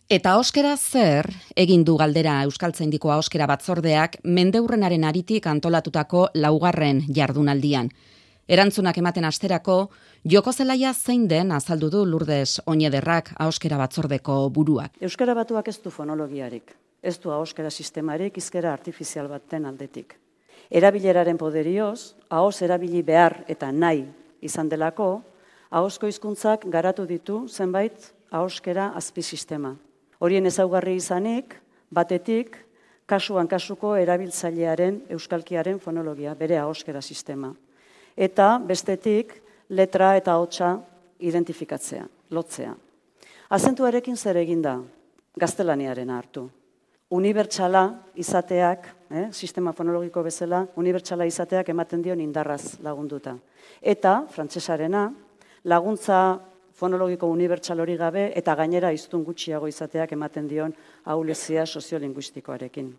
Eta ahoskera zer, egin du galdera Euskaltzaindiko ahoskera batzordeak mendeurrenaren aritik antolatutako laugarren jardunaldian. Erantzunak ematen asterako, joko zelaia zein den azaldu du Lourdes Oñederrak ahoskera batzordeko buruak. Euskara batuak ez du fonologiarik, ez du ahoskera sistemarik hizkera artifizial baten aldetik. Erabileraren poderioz, ahoz erabili behar eta nahi izan delako, ahozko hizkuntzak garatu ditu zenbait ahoskera azpisistema. Horien ezaugarri izanik, batetik, kasuan kasuko erabiltzailearen euskalkiaren fonologia, bere ahoskera sistema. Eta bestetik, letra eta ahotsa identifikatzea, lotzea. Azentuarekin zer eginda, gaztelaniarena hartu. Unibertsala izateak, sistema fonologiko bezala, unibertsala izateak ematen dion indarraz lagunduta. Eta, frantsesarena, laguntza fonologiko unibertsal hori gabe eta gainera hiztun gutxiago izateak ematen dion ahulezia soziolinguistikoarekin.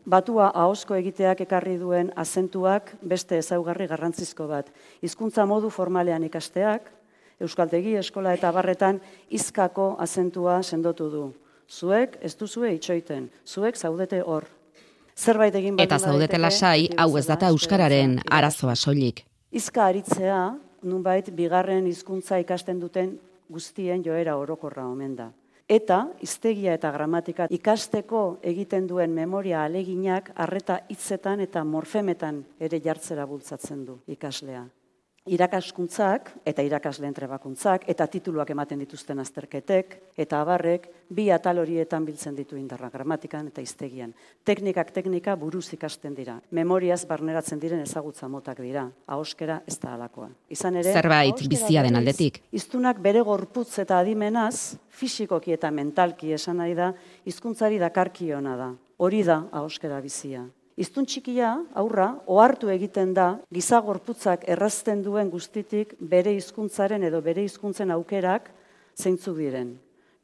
Batua ahozko egiteak ekarri duen azentuak beste ezaugarri garrantzizko bat. Hizkuntza modu formalean ikasteak, euskaltegi, eskola eta barretan hizkako azentua sendotu du. Zuek ez duzue itxoiten, zuek zaudete hor. Zerbait egin eta zaudete lasai, hau ez data euskararen arazoa soilik. Hizka aritzea, nunbait bigarren hizkuntza ikasten duten guztien joera orokorra omen da. Eta hiztegia eta gramatika ikasteko egiten duen memoria aleginak arreta hitzetan eta morfemetan ere jartzera bultzatzen du ikaslea. Irakaskuntzak eta irakasleen trebakuntzak eta tituluak ematen dituzten azterketek eta abarrek bi atal horietan biltzen ditu indarra, gramatikan eta hiztegian. Teknika buruz ikasten dira. Memoriaz barneratzen diren ezagutza motak dira. Ahoskera ez da halakoa. Izan ere, zerbait bizia den aldetik. Hiztunak bere gorputz eta adimenaz, fisikoki eta mentalki esan nahi da, hizkuntzari dakarkiona da. Hori da ahoskera bizia. Hiztun txikia, aurra, ohartu egiten da, giza gorputzak errazten duen guztitik bere hizkuntzaren edo bere hizkuntzen aukerak zeintzuk diren.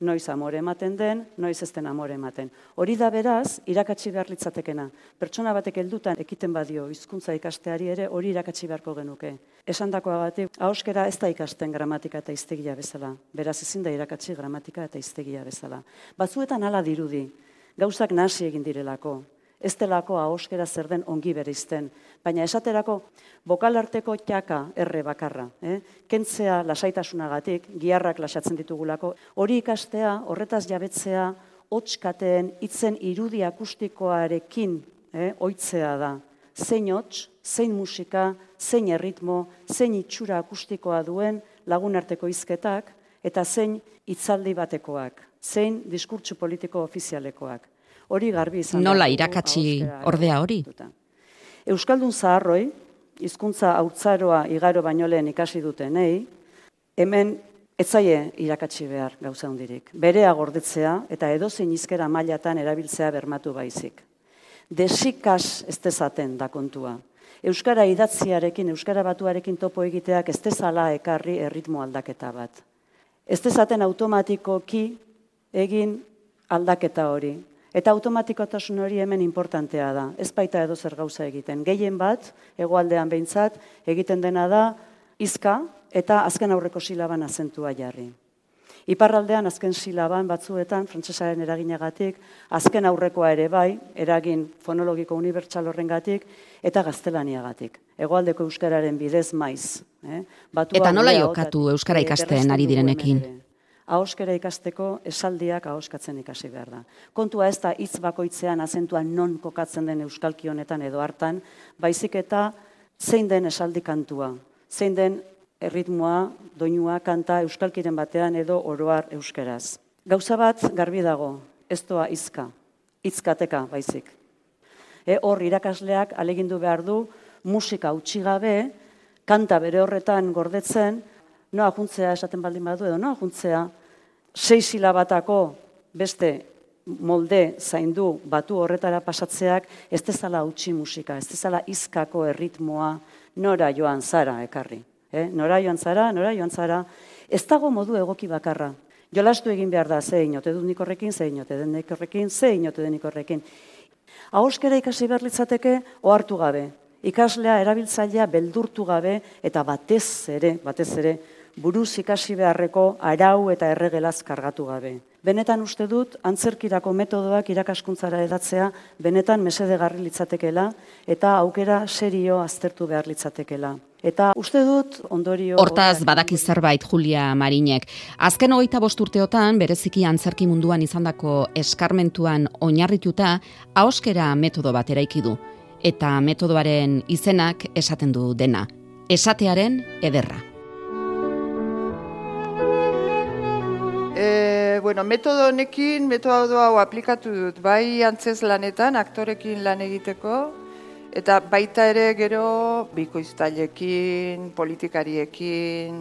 Noiz amore ematen den, noiz ez den amore ematen. Hori da beraz, irakatsi behar litzatekena. Pertsona batek heldutan ekiten badio hizkuntza ikasteari ere hori irakatsi beharko genuke. Esandakoagatik, ahoskera ez da ikasten gramatika eta hiztegia bezala. Beraz ezin da irakatsi gramatika eta hiztegia bezala. Batzuetan hala dirudi, gauzak nahasi egin direlako. Ez delako ahoskera zer den ongi bereizten, baina esaterako bokalarteko txaka erre bakarra. Kentzea lasaitasunagatik, giharrak lasatzen ditugulako, hori ikastea, horretaz jabetzea, hotskateen hitzen irudi akustikoarekin ohitzea da. Zein hots, zein musika, zein erritmo, zein itxura akustikoa duen lagunarteko hizketak, eta zein hitzaldi batekoak, zein diskurtso politiko ofizialekoak. Hori garbi izan da. Nola irakatsi ordea hori? Euskaldun zaharroi, hizkuntza haurtzaroa igaro baino lehen ikasi dutenei, hemen etzaie irakatsi behar gauza hundirik. Berea gordetzea eta edozein hizkera mailatan erabiltzea bermatu baizik. Desikas ez dezaten da kontua. Euskara idatziarekin, euskara batuarekin topo egiteak ez dezala ekarri erritmo aldaketa bat. Ez dezaten automatikoki egin aldaketa hori. Eta automatikotasun hori hemen importantea da. Ez baita edo zer gauza egiten. Gehien bat, hegoaldean behintzat, egiten dena da hizka eta azken aurreko silaban azentua jarri. Iparraldean azken silaban batzuetan, frantsesaren eraginagatik, azken aurrekoa ere bai, eragin fonologiko unibertsal horrengatik, eta gaztelaniagatik. Hegoaldeko euskararen bidez maiz. Eta nola jokatu euskara ikasten ari direnekin? Ahoskera ikasteko esaldiak ahoskatzen ikasi behar da. Kontua ez da hitz bakoitzean azentua non kokatzen den euskalki honetan edo hartan, baizik eta zein den esaldi kantua, zein den erritmoa, doinua, kanta euskalkiren batean edo oroar euskeraz. Gauza bat garbi dago, ez doa hizka, hitzkateka baizik. Hor irakasleak alegindu behar du musika utzi gabe, kanta bere horretan gordetzen, noa juntzea esaten baldin badu edo noa juntzea 6 silabatako beste molde zaindu batu horretara pasatzeak ez dezala utzi musika, ez dezala hizkako erritmoa nora joan zara ekarri. Nora joan zara, ez dago modu egoki bakarra. Jolastu egin behar da, ze inote dut nik horrekin, ze inote den nik horrekin, ze inote den nik horrekin. Ahoskera ikasi behar litzateke ohartu gabe. Ikaslea, erabiltzailea beldurtu gabe eta batez ere buruz ikasi beharreko arau eta erregelaz kargatu gabe. Benetan uste dut, antzerkirako metodoak irakaskuntzara edatzea benetan mesedegarri litzatekela eta aukera serio aztertu behar litzatekela. Eta uste dut ondorio... Hortaz, badaki zerbait Julia Marinek. Azken 25 urteotan, bereziki antzerki munduan izandako eskarmentuan oinarrituta, ahoskera metodo bat eraiki du. Eta metodoaren izenak esaten du dena. Esatearen ederra. Metodo honekin, metodo hau aplikatu dut, bai antzez lanetan, aktorekin lan egiteko, eta baita ere gero bikoiztailekin, politikariekin,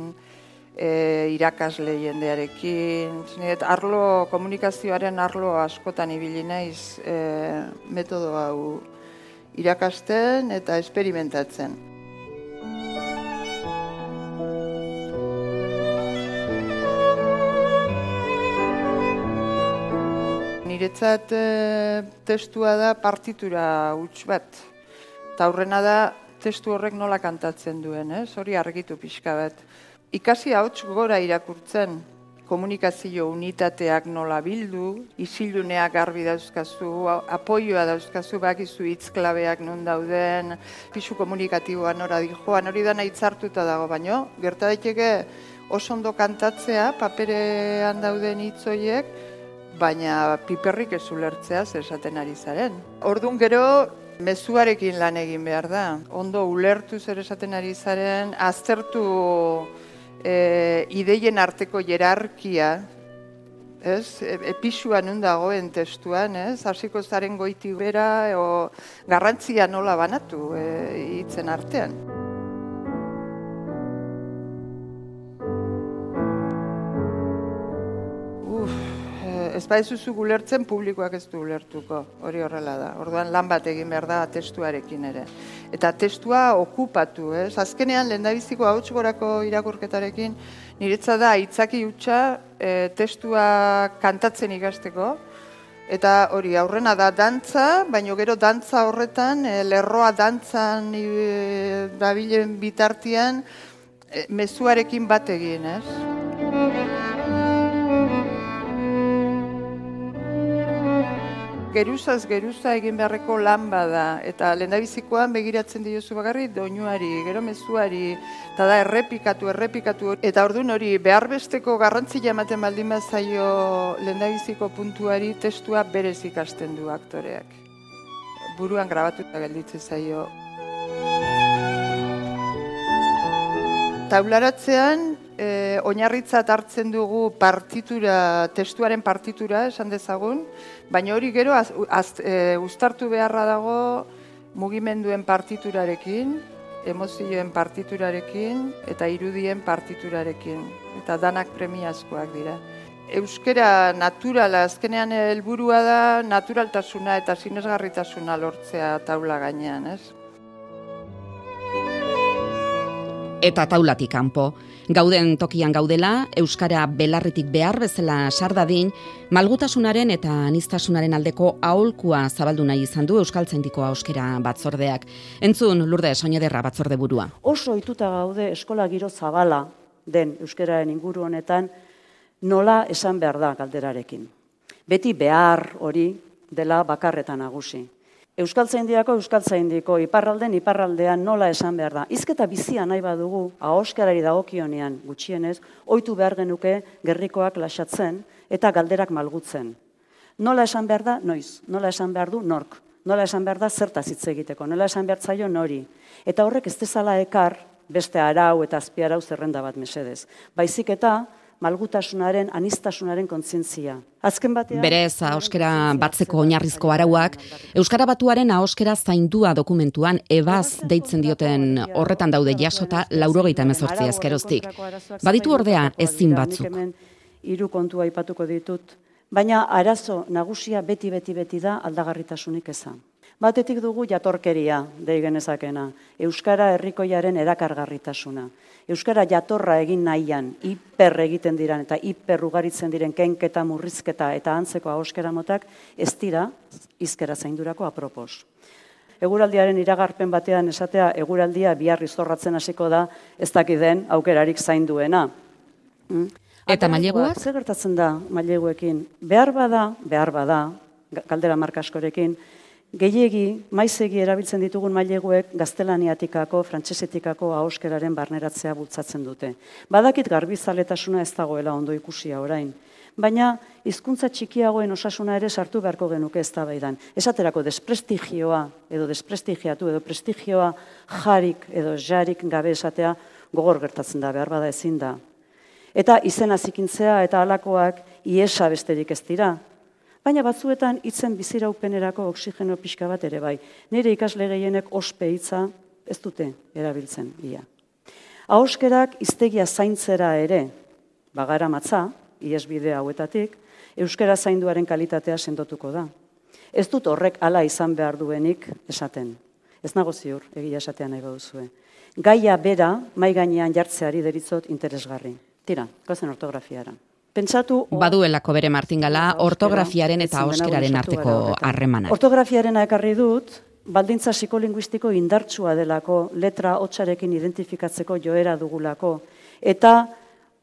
irakasle jendearekin, komunikazioaren arlo askotan ibili naiz metodo hau irakasten eta esperimentatzen. Niretzat testua da partitura huts bat. Eta aurrena da testu horrek nola kantatzen duen, hori argitu pixka bat. Ikasi ahots gora irakurtzen, komunikazio unitateak nola bildu, isiluneak garbi dauzkazu, apoioa dauzkazu, bakizu hitzklabeak non dauden, pisu komunikatiboa nora dijoan, hori dana hitzartuta dago, baino, gerta daiteke oso ondo kantatzea, paperean dauden hitz horiek, baina piperrik ez ulertzea zer esaten ari zaren. Orduan gero, mezuarekin lan egin behar da. Ondo ulertu zer esaten ari zaren, aztertu ideien arteko jerarkia, episua nun dagoen testuan, hasiko zaren goiti bera, garrantzia nola banatu hitzen artean. Ez baizuzu ulertzen, publikoak ez du ulertuko, hori horrela da. Orduan lan bat egin behar da testuarekin ere. Eta testua okupatu, Azkenean, lehendabiziko ahots gorako irakurketarekin, niretzat da aitzaki hutsa testua kantatzen ikasteko. Eta hori, aurrena da dantza, baina gero dantza horretan, lerroa dantzan dabilen bitartean, mezuarekin bat egin, Geruzaz geruza egin beharreko lan bada, eta lehendabizikoan begiratzen diozu bakarrik doinuari, gero mezuari, eta da errepikatu, eta orduan hori beharbesteko garrantzia ematen baldin bazaio lehendabiziko puntuari testua berez ikasten du aktoreak. Buruan grabatuta gelditzen zaio. Taularatzean, oinarritzat hartzen dugu testuaren partitura, esan dezagun, baina hori gero uztartu beharra dago mugimenduen partiturarekin, emozioen partiturarekin eta irudien partiturarekin. Eta danak premiazkoak dira. Euskara naturala, azkenean helburua da naturaltasuna eta sinesgarritasuna lortzea taula gainean, Eta taulatik kanpo. Gauden tokian gaudela, euskara belarritik behar bezala sardadin, malgutasunaren eta aniztasunaren aldeko aholkua zabaldu nahi izan du Euskaltzaindiko Ahoskera Batzordeak. Entzun, Lourdes Oñederra batzorde burua. Oso ohituta gaude eskola giro zabala den euskararen inguru honetan nola esan behar da galderarekin. Beti behar hori dela bakarretan nagusi. Euskaltzaindiko, iparraldean nola esan behar da. Hizketa bizia nahi badugu, ahoskerari dagokionean gutxienez, ohitu behar genuke gerrikoak lasatzen eta galderak malgutzen. Nola esan behar da, noiz. Nola esan behar du, nork. Nola esan behar da, zertaz hitz egiteko. Nola esan behar zaio, nori. Eta horrek ez dezala ekar, beste arau eta azpiarau zerrenda bat mesedez. Baizik eta malgutasunaren, aniztasunaren kontzientzia. Azken batean... Berez, ahoskera batzeko oinarrizko arauak, Euskara Batuaren ahoskera zaindua dokumentuan ebaz deitzen dioten horretan daude jasota 98 ezkeroztik. Baditu ordea ezin batzuk. Hiru kontua aipatuko ditut, baina arazo nagusia beti da aldagarritasunik eza. Batetik dugu jatorkeria, dei genezakena, Euskara herrikoiaren erakargarritasuna. Euskara jatorra egin nahian, hiper egiten diren eta hiper ugaritzen diren kenketa, murrizketa eta antzeko ahoskera motak ez dira hizkera zaindurako apropos. Eguraldiaren iragarpen batean esatea, eguraldia bihar izorratzen hasiko da ez dakiden aukerarik zainduena. Eta maileguak? Zer gertatzen da maileguekin? Behar bada, galdera marka askorekin, gehiegi, maizegi erabiltzen ditugun maileguek gaztelaniatikako, frantsesetikako ahoskeraren barneratzea bultzatzen dute. Badakit garbizaletasuna ez dagoela ondo ikusia orain, baina hizkuntza txikiagoen osasuna ere sartu beharko genuke eztabaidan. Esaterako desprestigioa edo desprestigiatu edo prestigioa jarik edo jarik gabe esatea gogor gertatzen da, behar bada ezin da. Eta izena zikintzea eta halakoak iesa besterik ez dira. Baina batzuetan hitzen biziraupenerako oxigeno pixka bat ere bai. Nire ikasle gehienek ospe hitza ez dute erabiltzen ia. Ahoskerak hiztegia zaintzera ere bagara matza, ihesbide hauetatik, euskara zainduaren kalitatea sendotuko da. Ez dut horrek hala izan behar duenik esaten. Ez nago ziur, egia esatea nahi baduzue. Gaia bera, mai gainean jartzeari deritzot interesgarri. Tira, goazen ortografiara. Pentsatu... Baduelako bere martingala ortografiaren eta ahoskeraren arteko harremana. Ortografiarena ekarri dut, baldintza psikolinguistiko indartsua delako, letra hotsarekin identifikatzeko joera dugulako, eta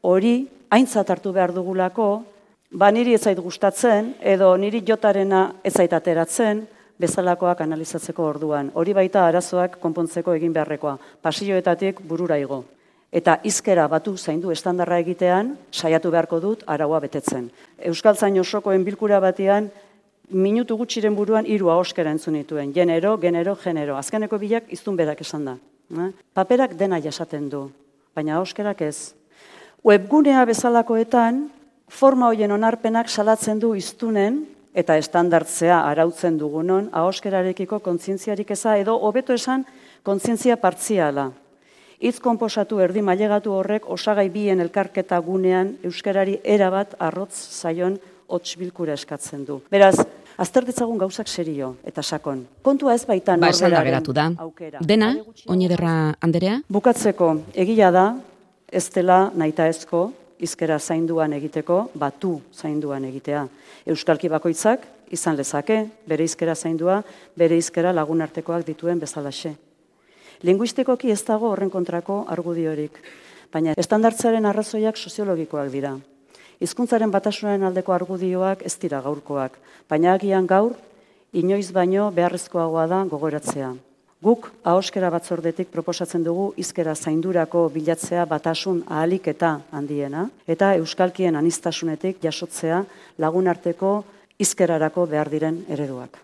hori aintzat hartu behar dugulako, niri ez zait gustatzen, edo niri jotarena ez zait ateratzen, bezalakoak analizatzeko orduan. Hori baita arazoak konpontzeko egin beharrekoa, pasilloetatik burura igo. Eta hizkera batu zaindu estandarra egitean, saiatu beharko dut araua betetzen. Euskaltzain osokoen bilkura batean, minutu gutxiren buruan 3 ahoskera entzun nituen. Genero, genero. Azkeneko bilak hiztun berak esan da. Paperak dena jasaten du, baina ahoskerak ez. Webgunea bezalakoetan, forma hoien onarpenak salatzen du hiztunen eta estandartzea arautzen dugunon ahoskerarekiko kontzientziarik eza edo hobeto esan kontzientzia partziala. Hitz konposatu erdi mailegatu horrek osagai bien elkarketa gunean euskarari erabat arrotz zaion hots bilkura eskatzen du. Beraz, azter ditzagun gauzak serio eta sakon. Kontua ez baita norberaren aukera. Dena, Oñederra Anderea? Bukatzeko, egia da, ez dela nahitaezko hizkera zainduan egiteko, batu zainduan egitea. Euskalki bakoitzak izan lezake, bere hizkera zaindua, bere hizkera lagunartekoak dituen bezalaxe. Linguistikoki ez dago horren kontrako argudiorik, baina estandartzearen arrazoiak soziologikoak dira. Hizkuntzaren batasunaren aldeko argudioak ez dira gaurkoak, baina agian gaur, inoiz baino beharrezkoagoa da gogoratzea. Guk ahoskera batzordetik proposatzen dugu hizkera zaindurako bilatzea batasun ahalik eta handiena, eta euskalkien aniztasunetik jasotzea lagunarteko hizkerarako behar diren ereduak.